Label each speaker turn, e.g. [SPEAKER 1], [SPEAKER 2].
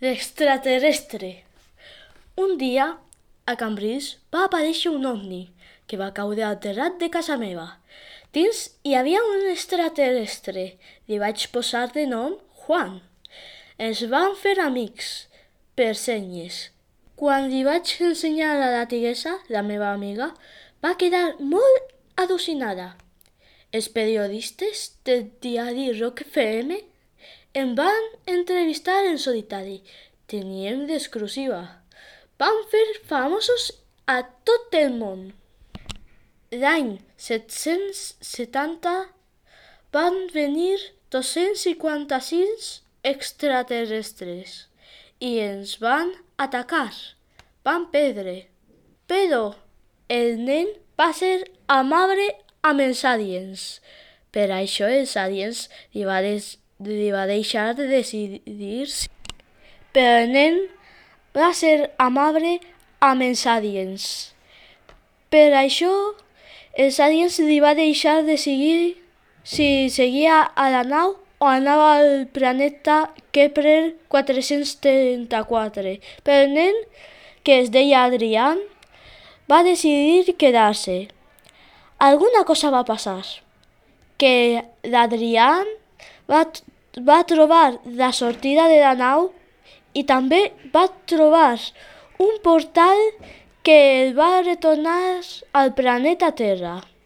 [SPEAKER 1] L'extraterrestre. Un dia, a Cambrils, va aparèixer un ovni que va caure al terrat de casa meva. Dins hi havia un extraterrestre. Li vaig posar de nom Juan. Ens vam fer amics, per senyes. Quan li vaig ensenyar a la tigressa, la meva amiga, va quedar molt al·lucinada. Els periodistes del diari Rock FM em van entrevistar en solitari. Teníem l'exclusiva. Vam fer famosos a tot el món. L'any 770 van venir 256 extraterrestres i ens van atacar. Van perdre. Però el nen va ser amable amb els aliens. Per això els aliens li va deixar decidir. Però el nen va ser amable amb els aliens. Per això els aliens li va deixar decidir si seguia a la nau o anava al planeta Kepler 434. Però el nen, que es deia Adrián, va decidir quedar-se. Alguna cosa va passar, que l'Adrián va trobar la sortida de la nau i també va trobar un portal que el va retornar al planeta Terra.